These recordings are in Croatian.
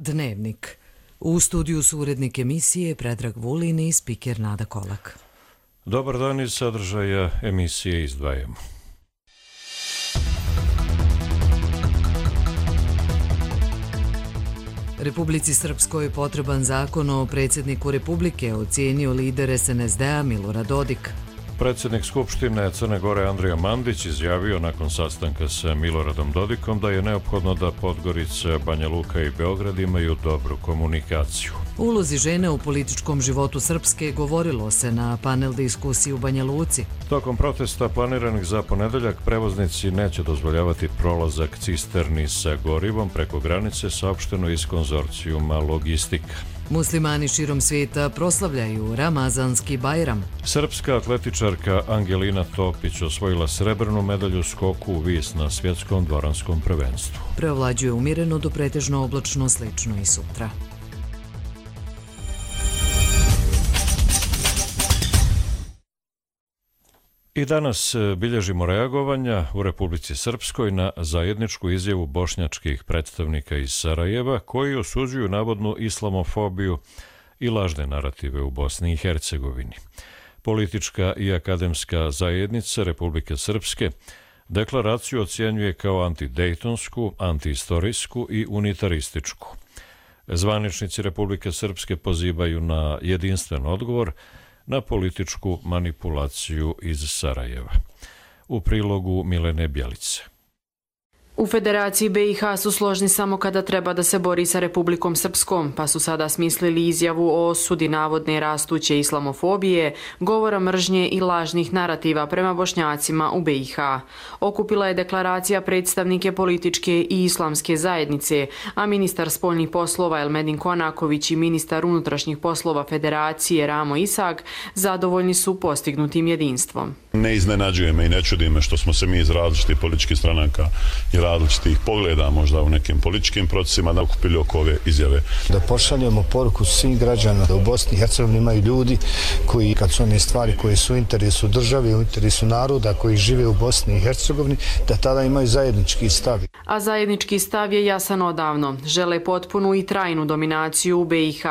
Dnevnik. U studiju su urednik emisije Predrag Vulin i spiker Nada Kolak. Dobar dan, iz sadržaja emisije izdvajamo. Republici Srpskoj potreban zakon o predsjedniku Republike, ocijenio lider SNSD-a Milorad Dodik. Predsjednik Skupštine Crne Gore Andrija Mandić izjavio nakon sastanka sa Miloradom Dodikom da je neophodno da Podgorica, Banja Luka i Beograd imaju dobru komunikaciju. U ulozi žene u političkom životu Srpske govorilo se na panel diskusiji u Banja Luci. Tokom protesta planiranih za ponedeljak prevoznici neće dozvoljavati prolazak cisterni sa gorivom preko granice, saopšteno iz konzorcijuma Logistika. Muslimani širom svijeta proslavljaju Ramazanski Bajram. Srpska atletičarka Angelina Topić osvojila srebrnu medalju u skoku u vis na svjetskom dvoranskom prvenstvu. Preovlađuje umjereno do pretežno oblačno, slično i sutra. I danas bilježimo reagovanja u Republici Srpskoj na zajedničku izjavu bošnjačkih predstavnika iz Sarajeva koji osuđuju navodnu islamofobiju i lažne narative u Bosni i Hercegovini. Politička i akademska zajednica Republike Srpske deklaraciju ocjenjuje kao antidejtonsku, antiistorijsku i unitarističku. Zvaničnici Republike Srpske pozivaju na jedinstven odgovor na političku manipulaciju iz Sarajeva. U prilogu Milene Bjelice. U Federaciji BiH su složni samo kada treba da se bori sa Republikom Srpskom, pa su sada smislili izjavu o osudi navodne rastuće islamofobije, govora mržnje i lažnih narativa prema Bošnjacima u BiH. Okupila je deklaracija predstavnike političke i islamske zajednice, a ministar spoljnih poslova Elmedin Konaković i ministar unutrašnjih poslova Federacije Ramo Isak zadovoljni su postignutim jedinstvom. Ne iznenađuje me i ne čudi me što smo se mi iz različitih političkih stranaka i različitih pogleda možda u nekim političkim procesima da okupili oko ove izjave. Da pošaljemo poruku svim građanima da u Bosni i Hercegovini imaju ljudi koji, kad su one stvari koje su u interesu države, u interesu naroda koji žive u Bosni i Hercegovini, da tada imaju zajednički stav. A zajednički stav je jasan odavno. Žele potpunu i trajnu dominaciju u BiH,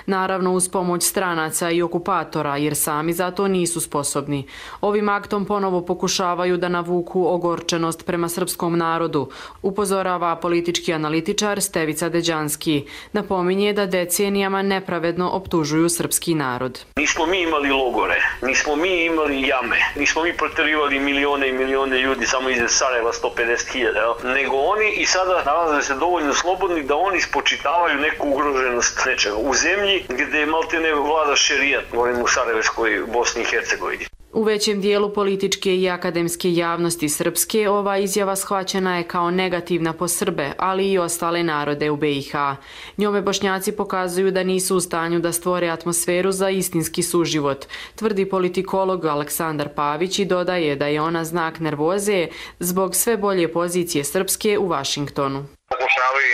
naravno uz pomoć stranaca i okupatora, jer sami za to nisu sposobni. Ovim aktom ponovo pokušavaju da navuku ogorčenost prema srpskom narodu, upozorava politički analitičar Stevica Deđanski. Napominje da decenijama nepravedno optužuju srpski narod. Nismo mi imali logore, nismo mi imali jame, nismo mi proterivali milione i milione ljudi samo iz Sarajeva 150.000, nego oni i sada nalaze se dovoljno slobodni da oni spočitavaju neku ugroženost nečega u zemlji gdje maltene vlada šerijat, govorim u Sarajevskoj Bosni i Hercegovini. U većem dijelu političke i akademske javnosti Srpske ova izjava shvaćena je kao negativna po Srbe, ali i ostale narode u BiH. Njome Bošnjaci pokazuju da nisu u stanju da stvore atmosferu za istinski suživot, tvrdi politikolog Aleksandar Pavić i dodaje da je ona znak nervoze zbog sve bolje pozicije Srpske u Vašingtonu. Pokušavaju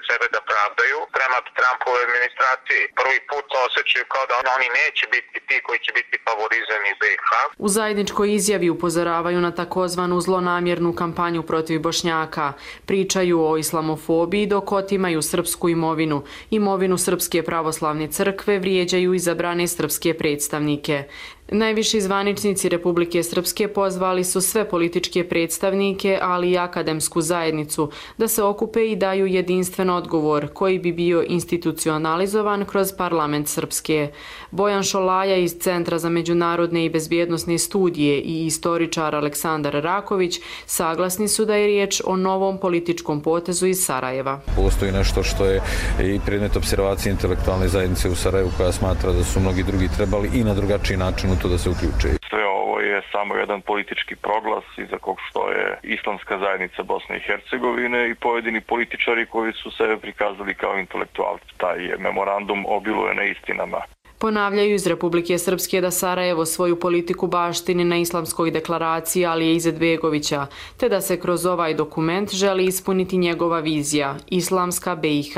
sebe da pravdaju prema Trumpove administraciji. Prvi put osjećaju kao da oni neće biti ti koji će biti favorizani BiH. U zajedničkoj izjavi upozoravaju na takozvanu zlonamjernu kampanju protiv Bošnjaka. Pričaju o islamofobiji dok otimaju srpsku imovinu. Imovinu Srpske pravoslavne crkve vrijeđaju izabrane srpske predstavnike. Najviši zvaničnici Republike Srpske pozvali su sve političke predstavnike, ali i akademsku zajednicu, da se okupe i daju jedinstven odgovor koji bi bio institucionalizovan kroz parlament Srpske. Bojan Šolaja iz Centra za međunarodne i bezbjednosne studije i istoričar Aleksandar Raković saglasni su da je riječ o novom političkom potezu iz Sarajeva. Postoji nešto što je i predmet observacije intelektualne zajednice u Sarajevu koja smatra da su mnogi drugi trebali i na drugačiji način to da se uključe. Sve ovo je samo jedan politički proglas iza kog stoje islamska zajednica Bosne i Hercegovine i pojedini političari koji su sebe prikazali kao intelektualci. Taj memorandum obiluje neistinama. Ponavljaju iz Republike Srpske da Sarajevo svoju politiku baštini na islamskoj deklaraciji Alije Izetbegovića, te da se kroz ovaj dokument želi ispuniti njegova vizija, islamska BiH.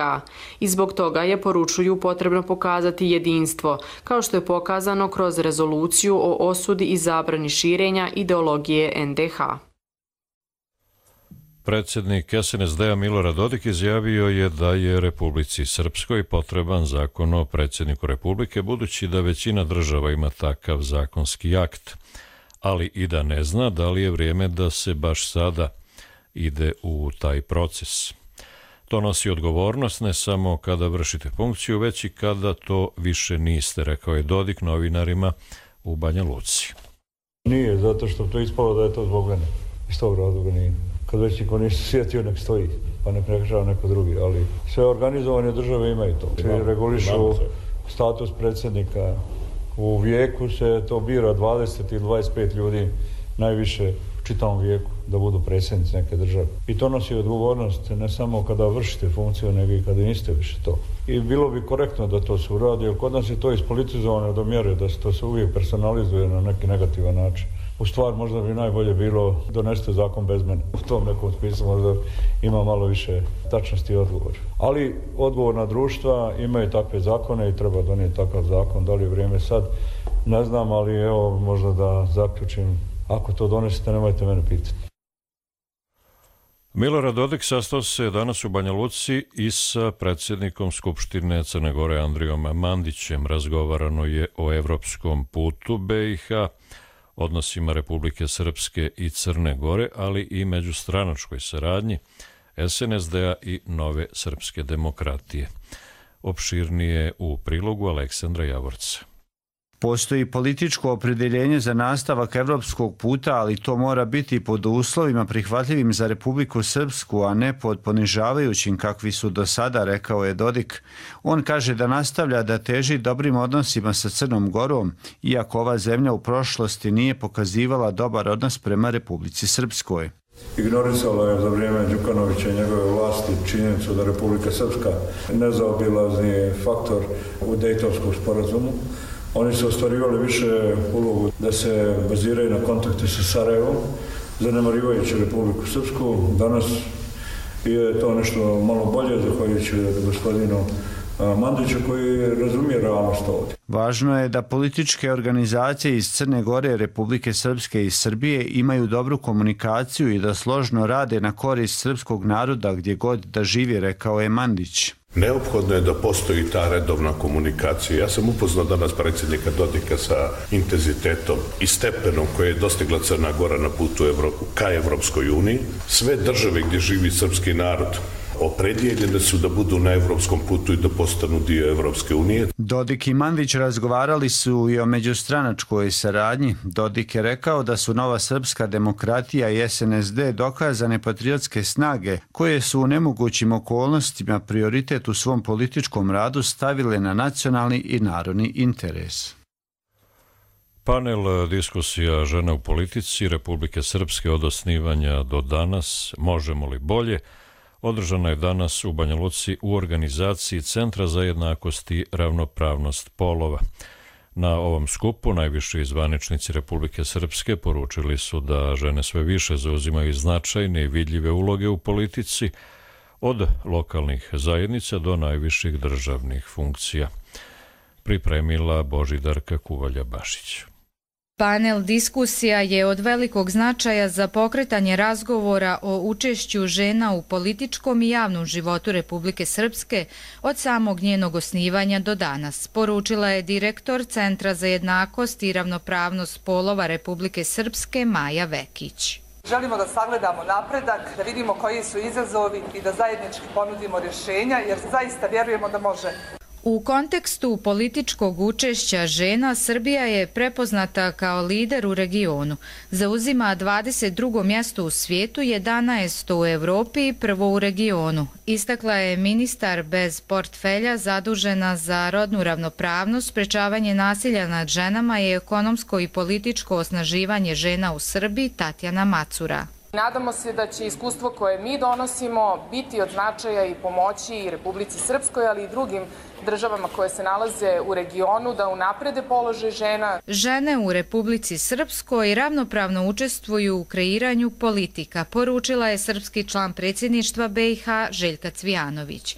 I zbog toga je, poručuju, potrebno pokazati jedinstvo, kao što je pokazano kroz rezoluciju o osudi i zabrani širenja ideologije NDH. Predsjednik SNSD-a Milorad Dodik izjavio je da je Republici Srpskoj potreban zakon o predsjedniku Republike, budući da većina država ima takav zakonski akt, ali i da ne zna da li je vrijeme da se baš sada ide u taj proces. To nosi odgovornost ne samo kada vršite funkciju, već i kada to više niste, rekao je Dodik novinarima u Banja Luci. Nije, zato što to ispalo da je to zbog mene. Iz tog razloga nije. Kad već niko ništa sjetio, nek stoji, pa nek rešava neko drugi, ali sve organizovane države imaju to. Svi regulišu status predsjednika. U vijeku se to bira 20 ili 25 ljudi, najviše u čitavom vijeku, da budu predsjednici neke države. I to nosi odgovornost ne samo kada vršite funkciju, nego i kada niste više to. I bilo bi korektno da to se uradi, jer kod nas je to ispolitizovano do mjere da se to se uvijek personalizuje na neki negativan način. U stvar možda bi najbolje bilo donesti zakon bez mene. U tom nekom smislu možda ima malo više tačnosti i odgovor. Ali odgovorna društva imaju takve zakone i treba donijeti takav zakon. Da li je vrijeme sad? Ne znam, ali evo možda da zaključim. Ako to donesete, nemojte mene pitati. Milorad Dodik sastao se danas u Banja Luci i sa predsjednikom Skupštine Crne Gore Andrijom Mandićem. Razgovarano je o evropskom putu BiH, odnosima Republike Srpske i Crne Gore, ali i međustranačkoj saradnji SNSD-a i Nove srpske demokratije. Opširnije u prilogu Aleksandra Javorca. Postoji političko opredjeljenje za nastavak evropskog puta, ali to mora biti pod uslovima prihvatljivim za Republiku Srpsku, a ne pod ponižavajućim kakvi su do sada, rekao je Dodik. On kaže da nastavlja da teži dobrim odnosima sa Crnom Gorom, iako ova zemlja u prošlosti nije pokazivala dobar odnos prema Republici Srpskoj. Ignorisala je za vrijeme Đukanovića i njegove vlasti činjenicu da Republika Srpska nezaobilazni faktor u Dejtonskom sporazumu. Oni su ostvarivali više ulogu da se baziraju na kontakte sa Sarajevom, zanemarivajući Republiku Srpsku. Danas je to nešto malo bolje, zahvaljujući gospodinu Mandiću koji razumije realnost ovdje. Važno je da političke organizacije iz Crne Gore, Republike Srpske i Srbije imaju dobru komunikaciju i da složno rade na korist srpskog naroda gdje god da živi, rekao je Mandić. Neophodno je da postoji ta redovna komunikacija. Ja sam upoznao danas predsjednika Dodika sa intenzitetom i stepenom koje je dostigla Crna Gora na putu ka Evropskoj uniji. Sve države gdje živi srpski narod opredjeljene su da budu na evropskom putu i da postanu dio Evropske unije. Dodik i Mandić razgovarali su i o međustranačkoj saradnji. Dodik je rekao da su Nova srpska demokratija i SNSD dokazane patriotske snage koje su u nemogućim okolnostima prioritet u svom političkom radu stavile na nacionalni i narodni interes. Panel diskusija žena u politici Republike Srpske od osnivanja do danas, možemo li bolje, održana je danas u Banja Luci u organizaciji Centra za jednakost i ravnopravnost polova. Na ovom skupu najviši zvaničnici Republike Srpske poručili su da žene sve više zauzimaju značajne i vidljive uloge u politici, od lokalnih zajednica do najviših državnih funkcija. Pripremila Božidarka Kuvalja-Bašić. Panel diskusija je od velikog značaja za pokretanje razgovora o učešću žena u političkom i javnom životu Republike Srpske od samog njenog osnivanja do danas, poručila je direktor Centra za jednakost i ravnopravnost polova Republike Srpske Maja Vekić. Želimo da sagledamo napredak, da vidimo koji su izazovi i da zajednički ponudimo rješenja, jer zaista vjerujemo da može. U kontekstu političkog učešća žena, Srbija je prepoznata kao lider u regionu. Zauzima 22. mjesto u svijetu, 11. u Evropi i prvo u regionu. Istakla je ministar bez portfelja zadužena za rodnu ravnopravnost, sprečavanje nasilja nad ženama i ekonomsko i političko osnaživanje žena u Srbiji Tatjana Macura. Nadamo se da će iskustvo koje mi donosimo biti od značaja i pomoći i Republici Srpskoj, ali i drugim državama koje se nalaze u regionu da unaprede položaj žena. Žene u Republici Srpskoj ravnopravno učestvuju u kreiranju politika, poručila je srpski član predsjedništva BiH Željka Cvijanović.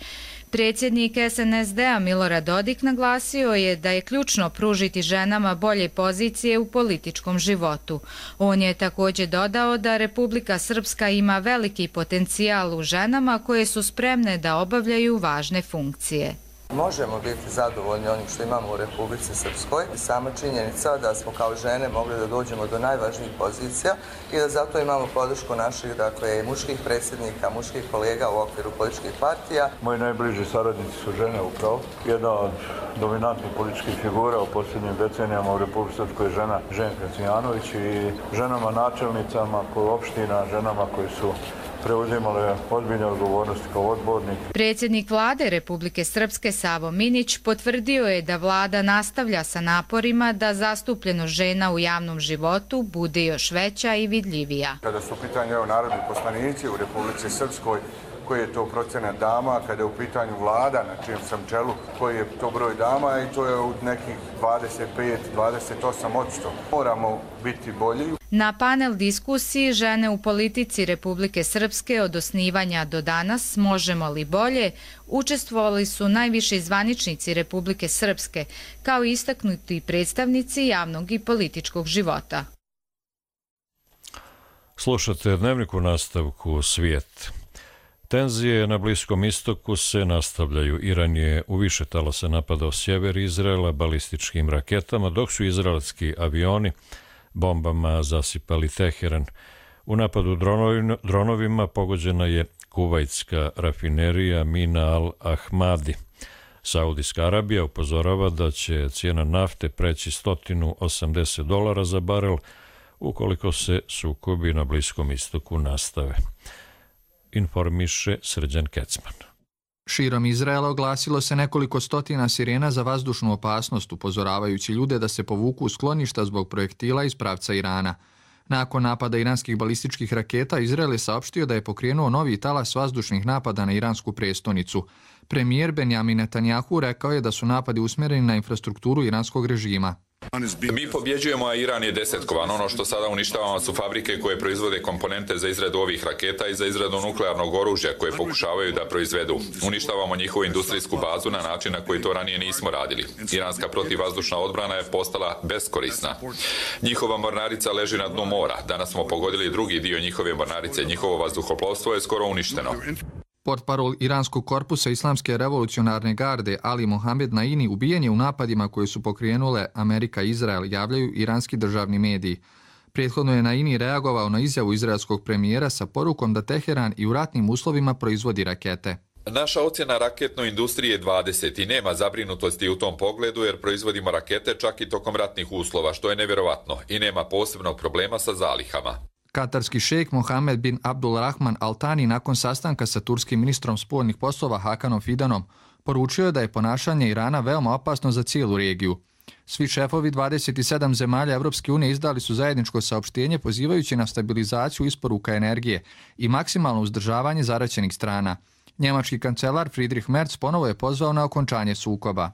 Predsjednik SNSD-a Milorad Dodik naglasio je da je ključno pružiti ženama bolje pozicije u političkom životu. On je također dodao da Republika Srpska ima veliki potencijal u ženama koje su spremne da obavljaju važne funkcije. Možemo biti zadovoljni onim što imamo u Republici Srpskoj. Sama činjenica da smo kao žene mogli da dođemo do najvažnijih pozicija i da zato imamo podršku naših muških predsjednika, muških kolega u okviru političkih partija. Moji najbliži saradnici su žene upravo. Jedna od dominantnih političkih figura u posljednjim decenijama u Republici Srpskoj je žena Ženka Cvijanović i ženama načelnicama opština, ženama koji su preuzimale ozbiljne odgovornosti kao odbornik. Predsjednik vlade Republike Srpske Savo Minić potvrdio je da vlada nastavlja sa naporima da zastupljenost žena u javnom životu bude još veća i vidljivija. Kada su u pitanju narodni poslanici u Republici Srpskoj, koji je to procenat dama, kada je u pitanju vlada na čijem sam čelu, koji je to broj dama i to je u nekih 25-28%. Moramo biti bolji. Na panel diskusiji Žene u politici Republike Srpske od osnivanja do danas možemo li bolje učestvovali su najviši zvaničnici Republike Srpske, kao i istaknuti predstavnici javnog i političkog života. Slušate Dnevnik u nastavku Svijet. Tenzije na Bliskom istoku se nastavljaju. Iran je u više talasa napadao sjever Izraela balističkim raketama, dok su izraelski avioni bombama zasipali Teheran. U napadu dronovima pogođena je kuvajtska rafinerija Mina al-Ahmadi. Saudijska Arabija upozorava da će cijena nafte preći $180 za barel ukoliko se sukobi na Bliskom istoku nastave. Informiše Srđan Kecman. Širom Izraela oglasilo se nekoliko stotina sirena za vazdušnu opasnost, upozoravajući ljude da se povuku u skloništa zbog projektila iz pravca Irana. Nakon napada iranskih balističkih raketa, Izrael je saopštio da je pokrenuo novi talas vazdušnih napada na iransku prestonicu. Premijer Benjamin Netanjahu rekao je da su napadi usmjereni na infrastrukturu iranskog režima. Mi pobjeđujemo, a Iran je desetkovan. Ono što sada uništavamo su fabrike koje proizvode komponente za izradu ovih raketa i za izradu nuklearnog oružja koje pokušavaju da proizvedu. Uništavamo njihovu industrijsku bazu na način na koji to ranije nismo radili. Iranska protivvazdušna odbrana je postala beskorisna. Njihova mornarica leži na dnu mora. Danas smo pogodili drugi dio njihove mornarice. Njihovo vazduhoplovstvo je skoro uništeno. Portparol Iranskog korpusa Islamske revolucionarne garde Ali Mohamed Naini ubijen je u napadima koje su pokrenule Amerika i Izrael, javljaju iranski državni mediji. Prethodno je Naini reagovao na izjavu izraelskog premijera sa porukom da Teheran i u ratnim uslovima proizvodi rakete. Naša ocjena raketnoj industriji je 20 i nema zabrinutosti u tom pogledu jer proizvodimo rakete čak i tokom ratnih uslova, što je nevjerovatno, i nema posebnog problema sa zalihama. Katarski šejk Mohamed bin Abdulrahman Al Thani nakon sastanka sa turskim ministrom spoljnih poslova Hakanom Fidanom poručio je da je ponašanje Irana veoma opasno za cijelu regiju. Svi šefovi 27 zemalja Evropske unije izdali su zajedničko saopštenje pozivajući na stabilizaciju isporuka energije i maksimalno uzdržavanje zaraćenih strana. Njemački kancelar Friedrich Merz ponovo je pozvao na okončanje sukoba.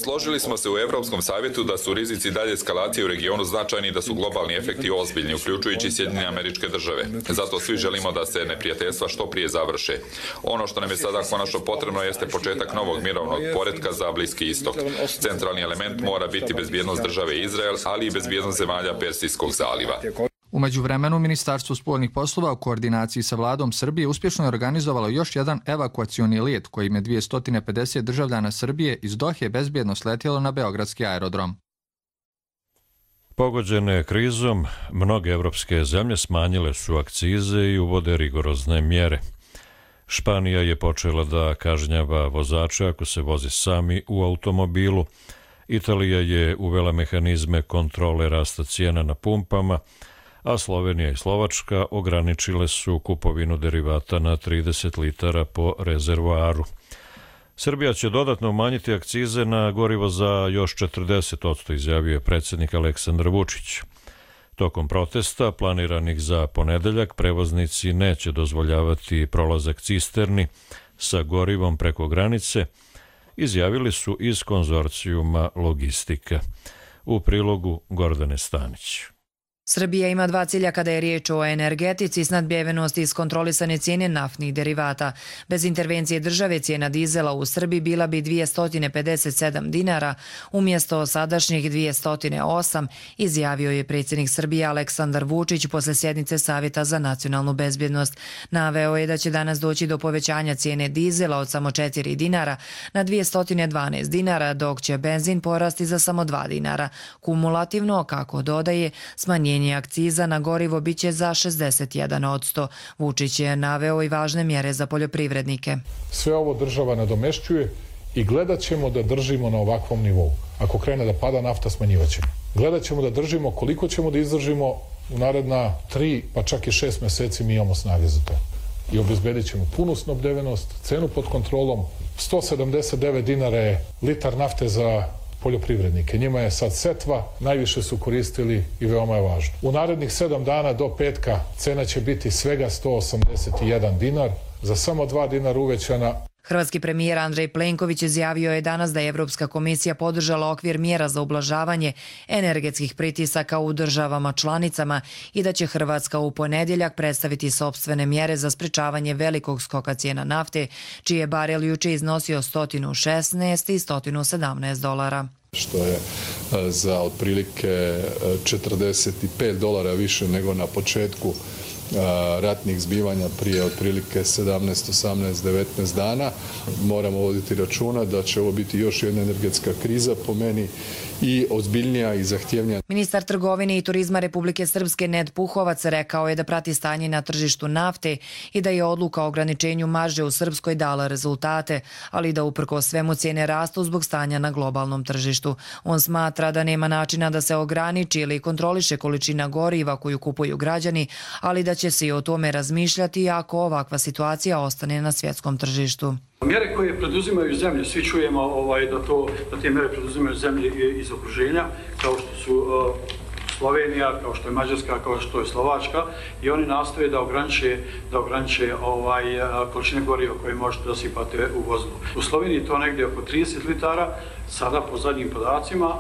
Složili smo se u Evropskom savjetu da su rizici dalje eskalacije u regionu značajni i da su globalni efekti ozbiljni, uključujući Sjedinjene Američke Države. Zato svi želimo da se neprijateljstva što prije završe. Ono što nam je sada konačno potrebno jeste početak novog mirovnog poretka za Bliski istok. Centralni element mora biti bezbjednost države Izrael, ali i bezbjednost zemalja Persijskog zaliva. U međuvremenu, Ministarstvo spoljnih poslova u koordinaciji sa vladom Srbije uspješno je organizovalo još jedan evakuacioni let kojim je 250 državljana Srbije iz Dohe bezbjedno sletjelo na beogradski aerodrom. Pogođene krizom, mnoge evropske zemlje smanjile su akcize i uvode rigorozne mjere. Španija je počela da kažnjava vozače ako se vozi sami u automobilu. Italija je uvela mehanizme kontrole rasta cijena na pumpama, a Slovenija i Slovačka ograničile su kupovinu derivata na 30 litara po rezervoaru. Srbija će dodatno umanjiti akcize na gorivo za još 40%, izjavio je predsjednik Aleksandar Vučić. Tokom protesta, planiranih za ponedeljak, prevoznici neće dozvoljavati prolazak cisterni sa gorivom preko granice, izjavili su iz konzorcijuma Logistika. U prilogu Gordane Stanić. Srbija ima dva cilja kada je riječ o energetici, snadbijevenost i iskontrolisane cijene naftnih derivata. Bez intervencije države cijena dizela u Srbiji bila bi 257 dinara umjesto sadašnjih 208, izjavio je predsjednik Srbije Aleksandar Vučić posle sjednice Savjeta za nacionalnu bezbjednost. Naveo je da će danas doći do povećanja cijene dizela od samo 4 dinara na 212 dinara, dok će benzin porasti za samo 2 dinara. Kumulativno, kako dodaje, smanjenje akciza na gorivo biće za 61%. Vučić je naveo i važne mjere za poljoprivrednike. Sve ovo država nadomešćuje i gledat ćemo da držimo na ovakvom nivou. Ako krene da pada nafta, smanjivat ćemo. Gledat ćemo da držimo koliko ćemo da izdržimo u naredna 3 pa čak i 6 mjeseci, mi imamo snage za to. I obezbedit ćemo punu snabdevenost, cenu pod kontrolom. 179 dinara je litar nafte za poljoprivrednike. Njima je sad setva, najviše su koristili i veoma je važno. U narednih 7 dana do petka cena će biti svega 181 dinar, za samo 2 dinara uvećana. Hrvatski premijer Andrej Plenković izjavio je danas da je Evropska komisija podržala okvir mjera za ublažavanje energetskih pritisaka u državama članicama i da će Hrvatska u ponedjeljak predstaviti sopstvene mjere za sprečavanje velikog skoka cijena nafte, čiji je barel juče iznosio 116 i 117 dolara. Što je za otprilike $45 više nego na početku ratnih zbivanja prije otprilike 17, 18, 19 dana. Moramo voditi računa da će ovo biti još jedna energetska kriza, po meni i ozbiljnija i zahtjevnija. Ministar trgovine i turizma Republike Srpske Ned Puhovac rekao je da prati stanje na tržištu nafte i da je odluka o ograničenju marže u Srpskoj dala rezultate, ali da uprkos svemu cijene rastu zbog stanja na globalnom tržištu. On smatra da nema načina da se ograniči ili kontroliše količina goriva koju kupuju građani, ali da će se i o tome razmišljati ako ovakva situacija ostane na svjetskom tržištu. Mjere koje preduzimaju zemlje, svi čujemo da te mjere preduzimaju zemlje iz okruženja, kao što su Slovenija, kao što je Mađarska, kao što je Slovačka, i oni nastoje da ograniče količine goriva koje možete da sipate u vozilu. U Sloveniji je to negdje oko 30 litara, sada po zadnjim podacima,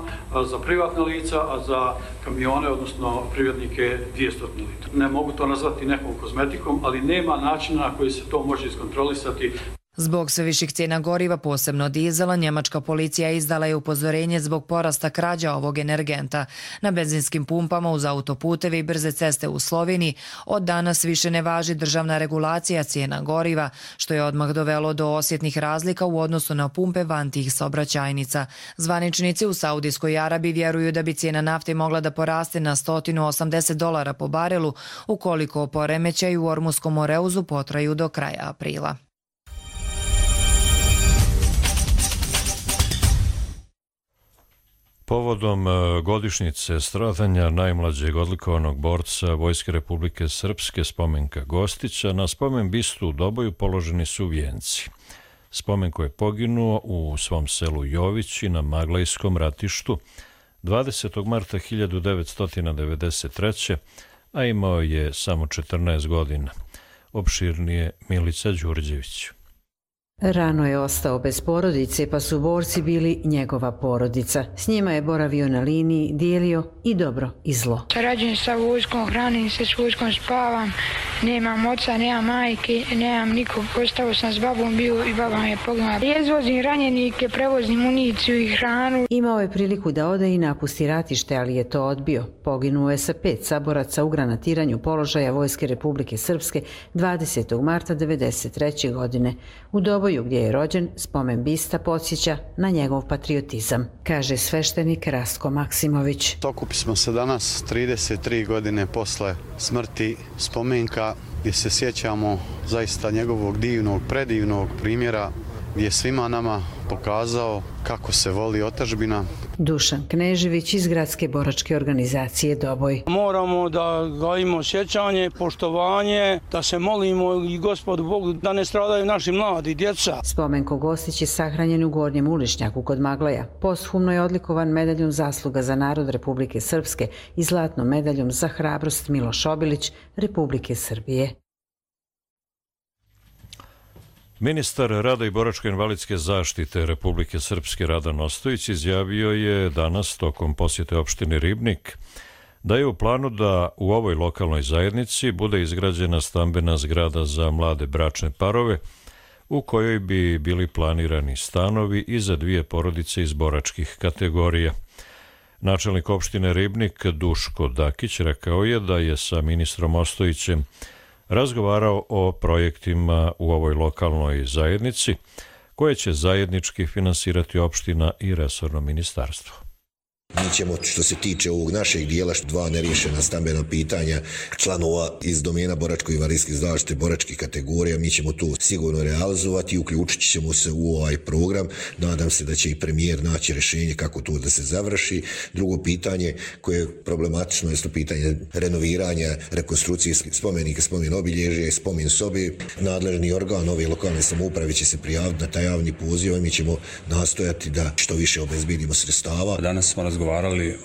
za privatna lica, a za kamione, odnosno privrednike, 200 litara. Ne mogu to nazvati nekom kozmetikom, ali nema načina na koji se to može iskontrolisati. Zbog sve viših cijena goriva, posebno dizela, njemačka policija izdala je upozorenje zbog porasta krađa ovog energenta. Na benzinskim pumpama uz autoputeve i brze ceste u Sloveniji od danas više ne važi državna regulacija cijena goriva, što je odmah dovelo do osjetnih razlika u odnosu na pumpe van tih saobraćajnica. Zvaničnici u Saudijskoj Arabiji vjeruju da bi cijena nafte mogla da poraste na $180 po barelu ukoliko poremećaji u Ormuskom moreuzu potraju do kraja aprila. Povodom godišnjice stradanja najmlađeg odlikovanog borca Vojske Republike Srpske Spomenka Gostića, na spomen bistu u Doboju položeni su vijenci. Spomenko je poginuo u svom selu Jovići na Maglajskom ratištu 20. marta 1993. a imao je samo 14 godina. Opširnije Milica Đurđević. Rano je ostao bez porodice, pa su borci bili njegova porodica. S njima je boravio na liniji, dijelio i dobro i zlo. Rađen sa vojskom, hranim se s vojskom, spavam, nemam oca, nemam majke, nemam nikog, ostao sam s babom bio i baba me poginula. Izvozim ranjenike, prevozim municiju i hranu. Imao je priliku da ode i napusti ratište, ali je to odbio. Poginuo je sa 5 saboraca u granatiranju položaja Vojske Republike Srpske 20. marta 1993. godine. U Doboju, gdje je rođen, spomen bista podsjeća na njegov patriotizam, kaže sveštenik Rastko Maksimović. Okupi smo se danas 33 godine posle smrti Spomenka, gdje se sjećamo zaista njegovog divnog, predivnog primjera, gdje je svima nama pokazao kako se voli otadžbina. Dušan Knežević iz Gradske boračke organizacije Doboj. Moramo da gajimo sjećanje, poštovanje, da se molimo i Gospodu Bogu da ne stradaju naši mladi, djeca. Spomenko Gostić je sahranjen u Gornjem Ulišnjaku kod Maglaja. Posthumno je odlikovan medaljom zasluga za narod Republike Srpske i zlatnom medaljom za hrabrost Miloš Obilić Republike Srbije. Ministar rada i boračko-invalidske zaštite Republike Srpske Radan Ostojić izjavio je danas tokom posjete opštine Ribnik da je u planu da u ovoj lokalnoj zajednici bude izgrađena stambena zgrada za mlade bračne parove u kojoj bi bili planirani stanovi i za 2 porodice iz boračkih kategorija. Načelnik opštine Ribnik Duško Dakić rekao je da je sa ministrom Ostojićem razgovarao o projektima u ovoj lokalnoj zajednici koje će zajednički finansirati opština i resorno ministarstvo. Mi ćemo, što se tiče ovog našeg dijela, 2 neriješena stambena pitanja članova iz domena boračko-invalidske zaštite, boračkih kategorija, mi ćemo to sigurno realizovati i uključit ćemo se u ovaj program. Nadam se da će i premijer naći rješenje kako to da se završi. Drugo pitanje koje je problematično je pitanje renoviranja, rekonstrukcije spomenika, spomen obilježja i spomen sobe. Nadležni organ ove lokalne samouprave će se prijaviti na taj javni poziv i mi ćemo nastojati da što više obezbedimo sredstava. Danas smo razgovarali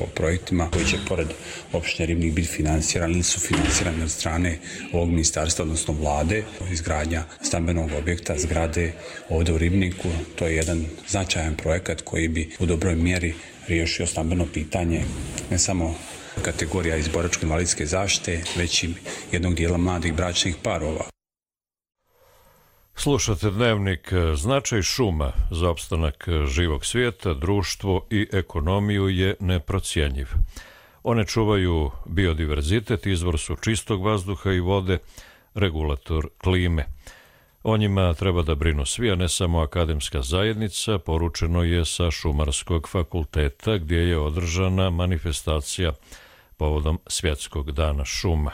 o projektima koji će pored opštine Ribnik biti finansirani ili su finansirani od strane ovog ministarstva, odnosno vlade. Izgradnja stambenog objekta, zgrade ovdje u Ribniku, to je jedan značajan projekat koji bi u dobroj mjeri riješio stambeno pitanje ne samo kategorija iz boračko-invalidske zaštite, već i jednog dijela mladih bračnih parova. Slušate Dnevnik. Značaj šuma za opstanak živog svijeta, društvo i ekonomiju je neprocjenjiv. One čuvaju biodiverzitet, izvor su čistog vazduha i vode, regulator klime. O njima treba da brinu svi, a ne samo akademska zajednica, poručeno je sa Šumarskog fakulteta gdje je održana manifestacija povodom Svjetskog dana šuma.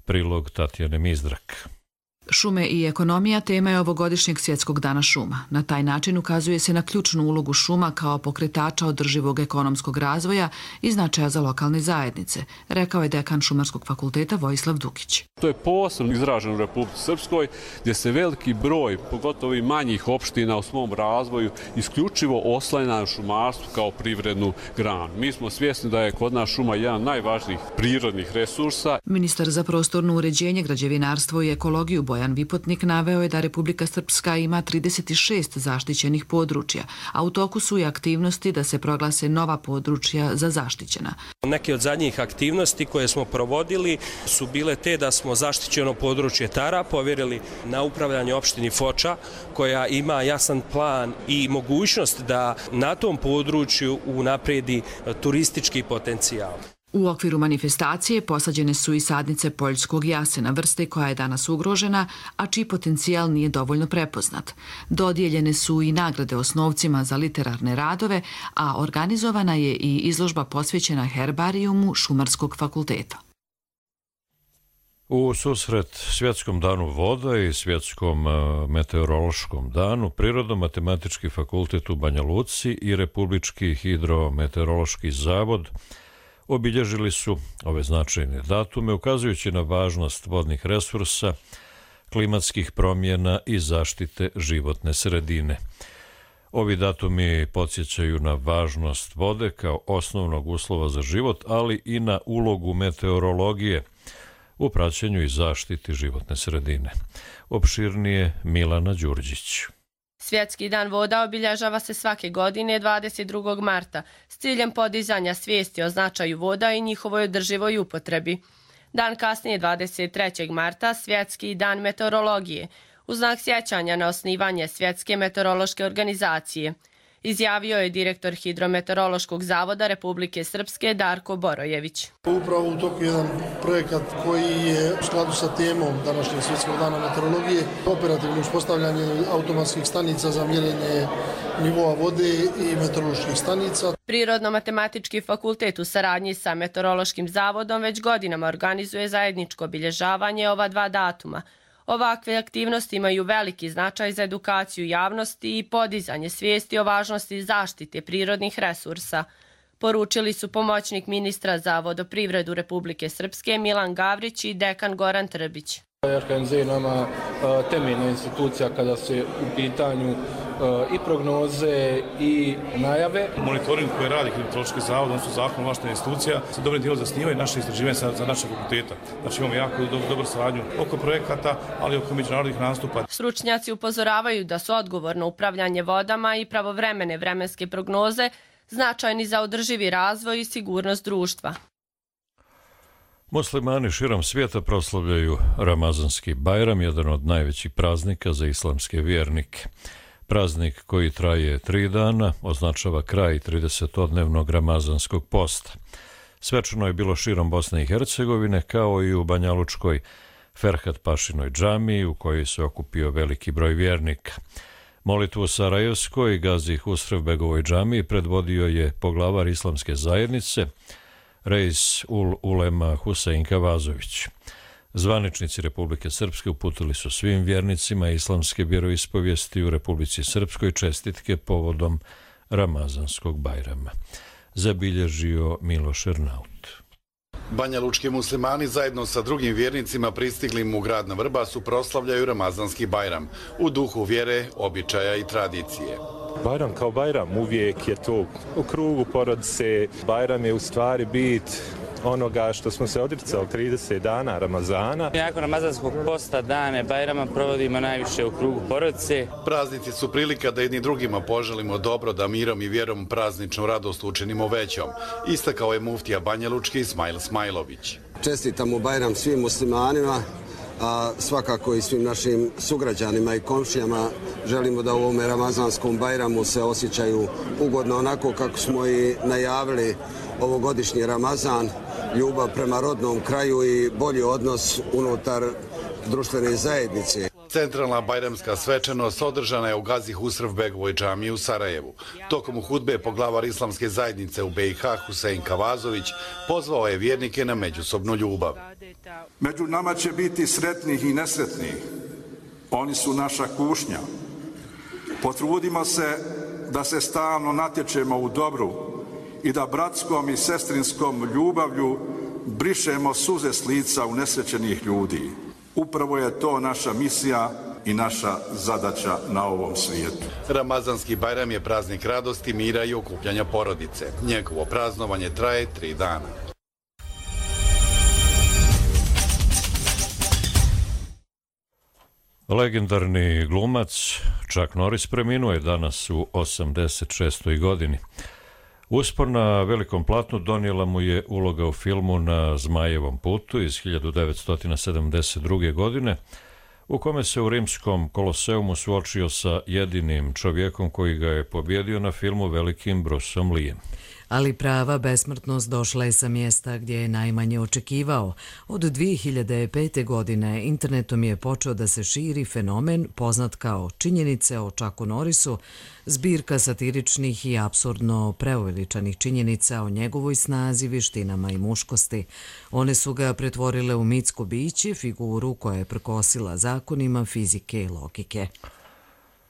Prilog Tatjane Mizdrak. Šume i ekonomija tema je ovogodišnjeg Svjetskog dana šuma. Na taj način ukazuje se na ključnu ulogu šuma kao pokretača održivog ekonomskog razvoja i značaja za lokalne zajednice, rekao je dekan Šumarskog fakulteta Vojislav Dukić. To je posebno izraženo u Republici Srpskoj, gdje se veliki broj, pogotovo i manjih opština u svom razvoju, isključivo oslanja na šumarstvo kao privrednu granu. Mi smo svjesni da je kod nas šuma jedan najvažnijih prirodnih resursa. Ministar za prostorno uređenje, građevinarstvo i ekologiju Bojan Vipotnik naveo je da Republika Srpska ima 36 zaštićenih područja, a u toku su i aktivnosti da se proglase nova područja za zaštićena. Neke od zadnjih aktivnosti koje smo provodili su bile te da smo zaštićeno područje Tara povjerili na upravljanje opštini Foča, koja ima jasan plan i mogućnost da na tom području unapredi turistički potencijal. U okviru manifestacije posađene su i sadnice poljskog jasena, vrste koja je danas ugrožena, a čiji potencijal nije dovoljno prepoznat. Dodijeljene su i nagrade osnovcima za literarne radove, a organizovana je i izložba posvećena herbarijumu Šumarskog fakulteta. U susret Svjetskom danu voda i Svjetskom meteorološkom danu, Prirodno-matematički fakultet u Banja Luci i Republički hidrometeorološki zavod obilježili su ove značajne datume, ukazujući na važnost vodnih resursa, klimatskih promjena i zaštite životne sredine. Ovi datumi podsjećaju na važnost vode kao osnovnog uslova za život, ali i na ulogu meteorologije u praćenju i zaštiti životne sredine. Opširnije Milana Đurđić. Svjetski dan voda obilježava se svake godine 22. marta s ciljem podizanja svijesti o značaju voda i njihovoj održivoj upotrebi. Dan kasnije 23. marta Svjetski dan meteorologije u znak sjećanja na osnivanje Svjetske meteorološke organizacije, izjavio je direktor Hidrometeorološkog zavoda Republike Srpske Darko Borojević. Upravo u toku jedan projekat koji je u skladu sa temom današnjeg Svjetskog dana meteorologije, operativno uspostavljanje automatskih stanica za mjerenje nivoa vode i meteoroloških stanica. Prirodno-matematički fakultet u saradnji sa Meteorološkim zavodom već godinama organizuje zajedničko obilježavanje ova 2 datuma. Ovakve aktivnosti imaju veliki značaj za edukaciju javnosti i podizanje svijesti o važnosti zaštite prirodnih resursa, poručili su pomoćnik ministra za vodoprivredu Republike Srpske Milan Gavrić i dekan Goran Trbić. RHMZ je nama temeljna institucija kada se u pitanju i prognoze i najave. Monitoring koji radi Hidrometeorološki zavod, odnosno zakon ovlaštena institucija, se dobrim dijelom zasnivaju naše istraživanje za naše fakulteta. Znači imamo jako dobru saradnju oko projekata, ali oko međunarodnih nastupa. Stručnjaci upozoravaju da su odgovorno upravljanje vodama i pravovremene vremenske prognoze značajni za održivi razvoj i sigurnost društva. Muslimani širom svijeta proslavljaju Ramazanski Bajram, jedan od najvećih praznika za islamske vjernike. Praznik koji traje 3 dana označava kraj 30-dnevnog ramazanskog posta. Svečano je bilo širom Bosne i Hercegovine, kao i u Banjalučkoj Ferhat Pašinoj džamiji, u kojoj se okupio veliki broj vjernika. Molitvu u Sarajevskoj Gazi Husrevbegovoj džamiji predvodio je poglavar islamske zajednice Reis ul Ulema Husein Kavazović. Zvaničnici Republike Srpske uputili su svim vjernicima islamske vjeroispovijesti u Republici Srpskoj čestitke povodom Ramazanskog Bajrama. Zabilježio Miloš Ernaut. Banjalučki muslimani zajedno sa drugim vjernicima pristiglim u grad na Vrbasu proslavljaju Ramazanski Bajram u duhu vjere, običaja i tradicije. Bajram kao Bajram uvijek je to u krugu porodice. Bajram je u stvari bit onoga što smo se odricali 30 dana Ramazana. Nakon Ramazanskog posta dane Bajrama provodimo najviše u krugu porodice. Praznici su prilika da jedni drugima poželimo dobro, da mirom i vjerom prazničnu radost učinimo većom. Istakao je muftija Banjalučki Ismail Smajlović. Čestitamo Bajram svim muslimanima, a svakako i svim našim sugrađanima i komšijama. Želimo da u ovom Ramazanskom Bajramu se osjećaju ugodno, onako kako smo i najavili ovogodišnji Ramazan, ljubav prema rodnom kraju i bolji odnos unutar društvene zajednice. Centralna bajramska svečanost održana je u Gazi Husrevbegovoj džamiji u Sarajevu. Tokom hudbe poglavar islamske zajednice u BiH Husein Kavazović pozvao je vjernike na međusobnu ljubav. Među nama će biti sretnih i nesretnih. Oni su naša kušnja. Potrudimo se da se stalno natječemo u dobru i da bratskom i sestrinskom ljubavlju brišemo suze s lica unesrećenih ljudi. Upravo je to naša misija i naša zadaća na ovom svijetu. Ramazanski Bajram je praznik radosti, mira i okupljanja porodice. Njegovo praznovanje traje 3 dana. Legendarni glumac Chuck Norris preminuo je danas u 86. godini. Uspor na velikom platnu donijela mu je uloga u filmu Na Zmajevom putu iz 1972. godine, u kome se u rimskom Koloseumu suočio sa jedinim čovjekom koji ga je pobjedio na filmu, velikim Bruceom Leeom. Ali prava besmrtnost došla je sa mjesta gdje je najmanje očekivao. Od 2005. godine internetom je počeo da se širi fenomen poznat kao činjenice o Chucku Norrisu, zbirka satiričnih i apsurdno preuveličanih činjenica o njegovoj snazi, vještinama i muškosti. One su ga pretvorile u mitsko biće, figuru koja je prkosila zakonima fizike i logike.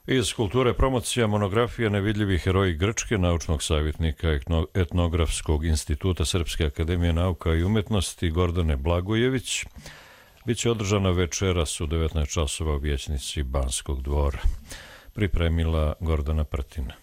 Iz kulture promocija monografija Nevidljivi heroji Grčke naučnog savjetnika Etnografskog instituta Srpske akademije nauka i umjetnosti Gordane Blagojević biće održana večeras u 19 časova u vijećnici Banskog dvora. Pripremila Gordana Prtina.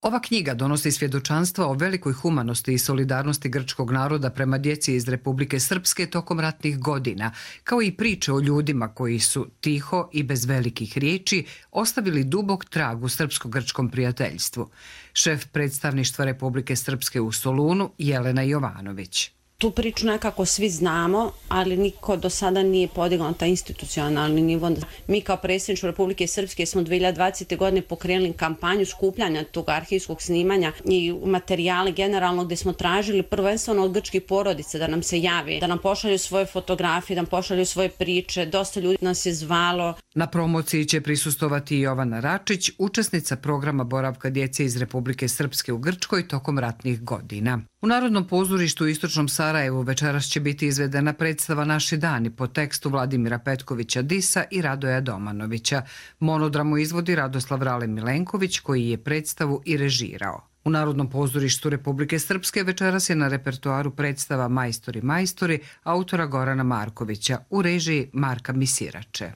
Ova knjiga donosi svjedočanstva o velikoj humanosti i solidarnosti grčkog naroda prema djeci iz Republike Srpske tokom ratnih godina, kao i priče o ljudima koji su tiho i bez velikih riječi ostavili dubok trag u srpsko-grčkom prijateljstvu. Šef predstavništva Republike Srpske u Solunu, Jelena Jovanović. Tu priču nekako svi znamo, ali niko do sada nije podigao na taj institucionalni nivo. Mi kao predsjedništvo Republike Srpske smo 2020. godine pokrenuli kampanju skupljanja tog arhivskog snimanja i materijale generalno, gdje smo tražili prvenstveno od grčkih porodica da nam se javi, da nam pošalju svoje fotografije, da nam pošalju svoje priče. Dosta ljudi nas je zvalo. Na promociji će prisustovati i Jovana Račić, učesnica programa boravka djece iz Republike Srpske u Grčkoj tokom ratnih godina. U Narodnom pozorištu u Istočnom Sarajevu večeras će biti izvedena predstava Naši dani po tekstu Vladimira Petkovića Disa i Radoja Domanovića. Monodramu izvodi Radoslav Rale Milenković, koji je predstavu i režirao. U Narodnom pozorištu Republike Srpske večeras je na repertoaru predstava Majstori, majstori autora Gorana Markovića u režiji Marka Misirače.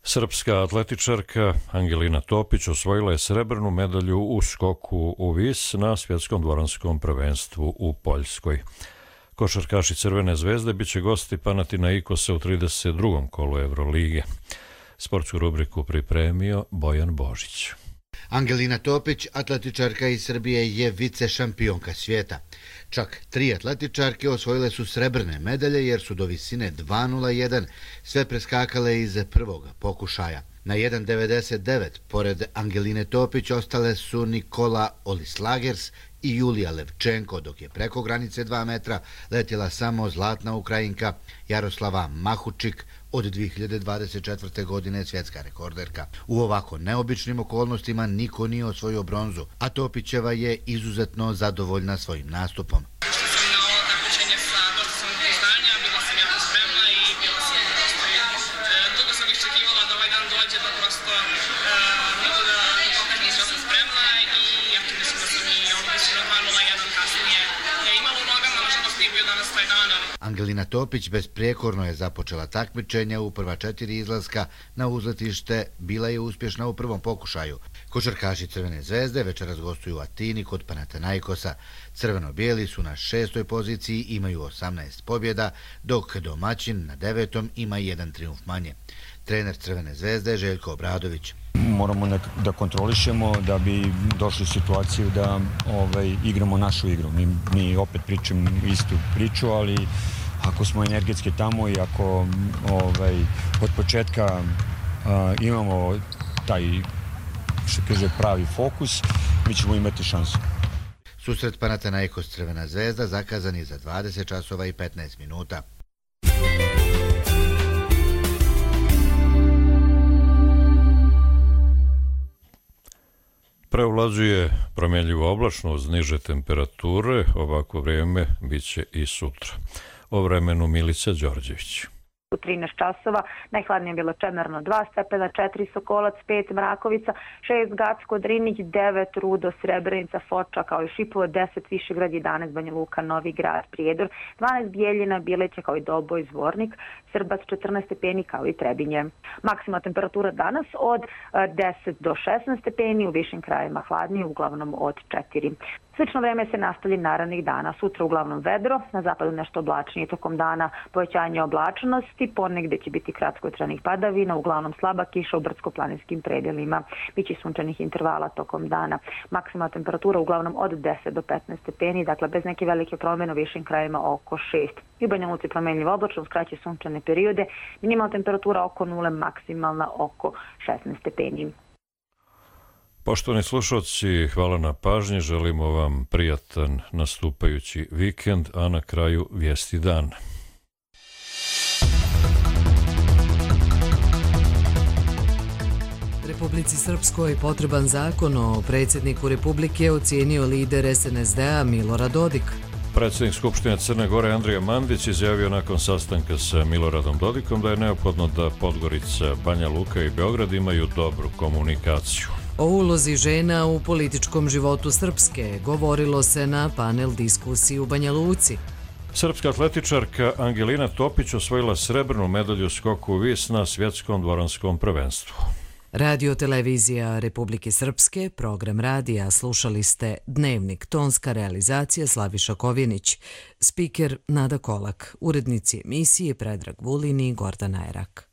Srpska atletičarka Angelina Topić osvojila je srebrnu medalju u skoku u vis na svjetskom dvoranskom prvenstvu u Poljskoj. Košarkaši Crvene zvezde biće gosti Panathinaikosa u 32. kolu Evrolige. Sportsku rubriku pripremio Bojan Božić. Angelina Topić, atletičarka iz Srbije, je vice šampionka svijeta. Čak 3 atletičarke osvojile su srebrne medalje jer su do visine 2.01 sve preskakale iz prvog pokušaja. Na 1.99 pored Angeline Topić ostale su Nikola Olislagers i Julija Levčenko, dok je preko granice 2 metra letjela samo zlatna Ukrajinka Jaroslava Mahučik, od 2024. godine svjetska rekorderka. U ovako neobičnim okolnostima niko nije osvojio bronzu, a Topićeva je izuzetno zadovoljna svojim nastupom. Angelina Topić besprijekorno je započela takmičenja u prva 4 izlaska na uzletište, bila je uspješna u prvom pokušaju. Košarkaši Crvene zvezde večeras gostuju u Atini kod Panathinaikosa. Crveno-bijeli su na 6. poziciji, imaju 18 pobjeda, dok domaćin na 9. ima 1 trijumf manje. Trener Crvene zvezde Željko Obradović. Moramo da kontrolišemo da bi došli u situaciju da igramo našu igru. Mi opet pričamo istu priču, ali ako smo energetski tamo i ako od početka imamo taj, što kaže, pravi fokus, mi ćemo imati šansu. Susret Panathinaikos Crvena zvezda zakazan je za 20 časova i 15 minuta. Preovlađuje promjenljivo oblačno uz niže temperature, ovako vrijeme bit će i sutra. O vremenu Milica Đorđević. U 13 časova, najhladnije bilo Čemerno 2 stepena, 4 Sokolac, 5 Mrakovica, 6 Gacko, Drinić, 9 Rudo, Srebrenica, Foča, kao i Šipovo, 10 Višegrad, 11 Banja Luka, Novi Grad, Prijedor, 12 Bijeljina, Bileća, kao i Doboj, Zvornik, Srbac, 14 stepeni, kao i Trebinje. Maksimalna temperatura danas od 10 do 16 stepeni, u višim krajevima hladnije, uglavnom od 4. Slično vreme se nastavlja narednih dana. Sutra uglavnom vedro, na zapadu nešto oblačnije, tokom dana povećanje oblačnosti, ponegde će biti kratkotrajnih padavina, uglavnom slaba kiša u brdsko-planinskim predelima. Biće sunčanih intervala tokom dana. Maksimalna temperatura uglavnom od 10 do 15 stepeni, dakle bez neke velike promjene u višim krajevima oko 6. I u Banja Luci promjenljivo oblačno, skraće sunčane periode, minimalna temperatura oko 0, maksimalna oko 16 stepeni. Poštovani slušalci, hvala na pažnji, želimo vam prijatan nastupajući vikend, a na kraju vijesti dana. Republici Srpskoj potreban zakon o predsjedniku Republike ocijenio lider SNSD-a Milorad Dodik. Predsjednik Skupštine Crne Gore Andrija Mandić izjavio nakon sastanka sa Miloradom Dodikom da je neophodno da Podgorica, Banja Luka i Beograd imaju dobru komunikaciju. O ulozi žena u političkom životu Srpske govorilo se na panel diskusiji u Banja Luci. Srpska atletičarka Angelina Topić osvojila srebrnu medalju skoku u vis na svjetskom dvoranskom prvenstvu. Radio televizija Republike Srpske, program radija, slušali ste Dnevnik, tonska realizacija Slaviša Kovjenić, spiker Nada Kolak, urednici emisije Predrag Vulin i Gordana Erak.